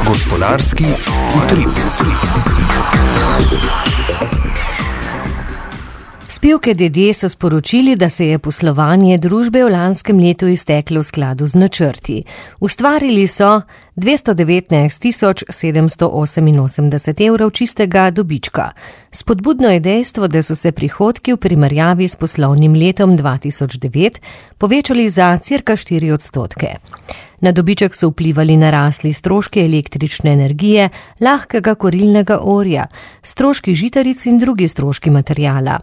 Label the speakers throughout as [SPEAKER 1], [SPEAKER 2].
[SPEAKER 1] Gospodarski utrip.
[SPEAKER 2] Spivke DD so sporočili, da se je poslovanje družbe v lanskem letu izteklo v skladu z načrti. Ustvarili so 219.788 evrov čistega dobička. Spodbudno je dejstvo, da so se prihodki v primerjavi s poslovnim letom 2009 povečali za cirka 4%. Na dobiček so vplivali narasli stroški električne energije, lahkega kurilnega olja, stroški žitaric in drugi stroški materijala.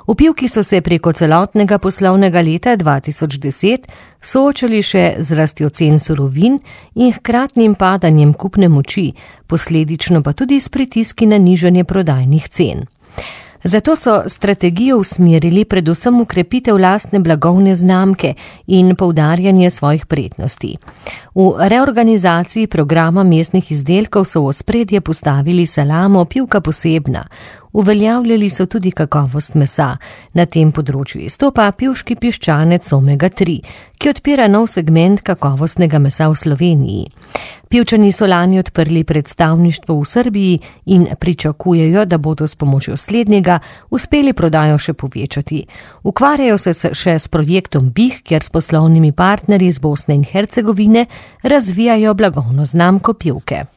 [SPEAKER 2] Vpivki so se preko celotnega poslovnega leta 2010 soočali še z rastjo cen surovin in hkratnim padanjem kupne moči, posledično pa tudi s pritiski na nižanje prodajnih cen. Zato so strategijo usmerili predvsem v krepitev lastne blagovne znamke in poudarjanje svojih prednosti. V reorganizaciji programa mesnih izdelkov so v ospredje postavili salamo Pivka Posebna. Uveljavljali so tudi kakovost mesa. Na tem področju izstopa pivški piščanec Omega 3, ki odpira nov segment kakovostnega mesa v Sloveniji. Pivčani so lani odprli predstavništvo v Srbiji in pričakujejo, da bodo s pomočjo slednjega uspeli prodajo še povečati. Ukvarjajo se še s projektom BIH, kjer s poslovnimi partnerji iz Bosne in Hercegovine razvijajo blagovno znamko Pivke.